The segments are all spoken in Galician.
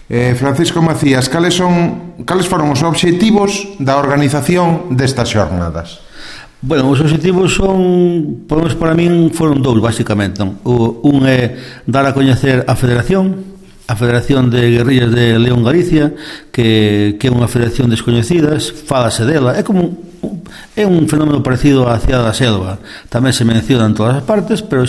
Francisco Macías, cales foron os obxectivos da organización destas xornadas? Bueno, os obxectivos son, para min, foron dous, basicamente. Un é dar a coñecer a Federación de Guerrillas de León Galicia, que é unha federación descoñecida, fálase dela, é un fenómeno parecido á Cidade da Selva, tamén se menciona en todas as partes, pero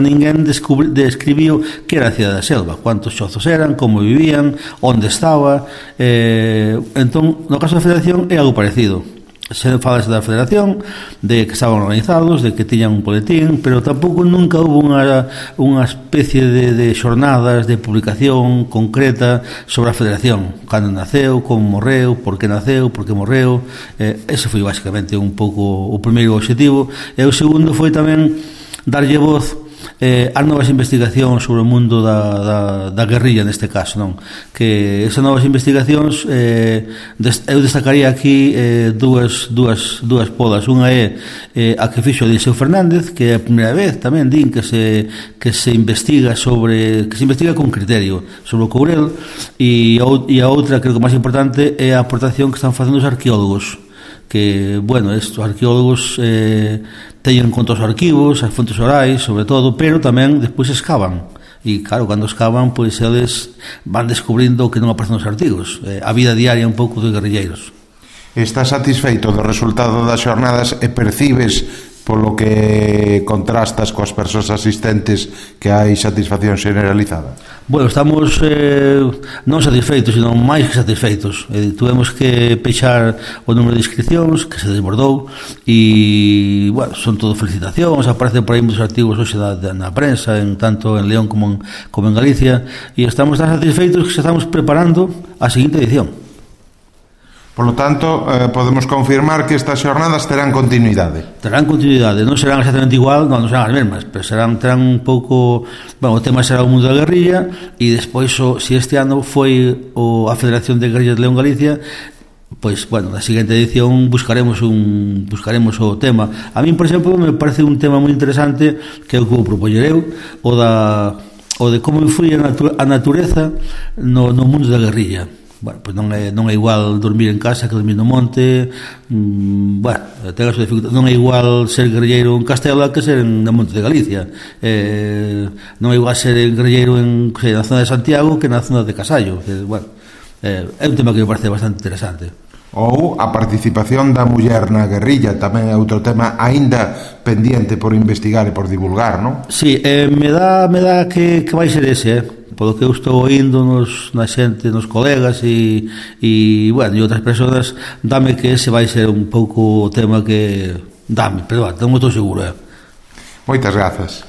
ninguén describiu que era a Cidade da Selva, cuántos xozos eran, como vivían, onde estaba. Entón, no caso da Federación é algo parecido. Se falase da Federación, de que estaban organizados, de que tiñan un boletín, pero tampouco nunca hubo unha especie de xornadas de publicación concreta sobre a Federación, cando naceu, como morreu, por que naceu, por que morreu. Ese foi basicamente un pouco o primeiro objetivo, e o segundo foi tamén darlle voz as novas investigacións sobre o mundo da guerrilla, neste caso, non? Que esas novas investigacións, eu destacaría aquí dúas polas. Unha é a que fixo Eliseo Fernández, que é a primeira vez tamén din que se investiga con criterio sobre o Courel, e a outra, creo que máis importante, é a aportación que están facendo os arqueólogos, que, bueno, estes arqueólogos teñen en conta os arquivos, as fontes orais, sobre todo, pero tamén despois escavan. E, claro, cando escavan, pois eles van descubrindo que non aparecen os artigos. A vida diaria un pouco dos guerrilleiros. Estás satisfeito do resultado das xornadas e percibes, polo que contrastas coas persoas asistentes, que hai satisfacción generalizada? Bueno, estamos non satisfeitos, sino máis que satisfeitos. Tuvemos que pechar o número de inscripcións, que se desbordou, e, bueno, son todo felicitacións, aparecen por aí muitos artigos hoxe na prensa, tanto en León como en Galicia, e estamos tan satisfeitos que se estamos preparando a seguinte edición. Por lo tanto, podemos confirmar que estas xornadas terán continuidade. Terán continuidade, non serán exactamente igual, non serán as mesmas, pero terán un pouco... Bueno, o tema será o mundo da guerrilla, e despois, se este ano foi a Federación de Guerrillas de León Galicia, pois, bueno, na seguinte edición buscaremos o tema. A min, por exemplo, me parece un tema moi interesante, que é o que vou propoñer eu, o de como influye a natureza no mundo da guerrilla. Bueno, pois non é igual dormir en casa que dormir no monte. Bueno, ten a súa dificultade. Non é igual ser guerrilleiro en Castela que ser no monte de Galicia. Non é igual ser guerrilleiro na zona de Santiago que na zona de Casallo. Bueno, é un tema que me parece bastante interesante. Ou a participación da muller na guerrilla, tamén é outro tema aínda pendiente por investigar e por divulgar, non? Sí, me dá que vai ser ese, polo que eu estou oindo na xente, nos colegas e bueno, e outras persoas, dame que ese vai ser un pouco o tema que... Dame, pero non estou seguro. Moitas grazas.